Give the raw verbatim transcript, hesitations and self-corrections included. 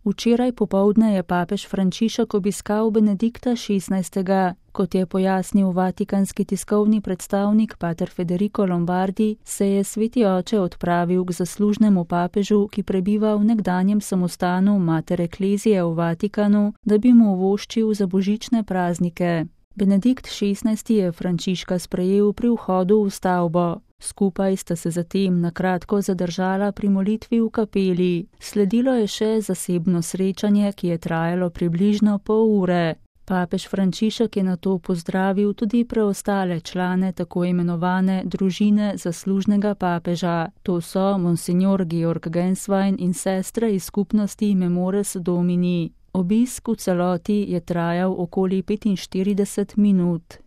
Včeraj popoldne je papež Frančišek obiskal Benedikta šestnajstega. Kot je pojasnil vatikanski tiskovni predstavnik pater Federico Lombardi, se je sveti oče odpravil k zaslužnemu papežu, ki prebiva v nekdanjem samostanu Mater Ecclesiae v Vatikanu, da bi mu voščil za božične praznike. Benedikt šestnajsti je Frančiška sprejel pri vhodu v stavbo. Skupaj sta se zatem na kratko zadržala pri molitvi v kapeli. Sledilo je še zasebno srečanje, ki je trajalo približno pol ure. Papež Frančišek je nato pozdravil tudi preostale člane tako imenovane družine zaslužnega papeža. To so monsignor Georg Genswein in sestre iz skupnosti Memores Domini. Obisk v celoti je trajal okoli petinštirideset minut.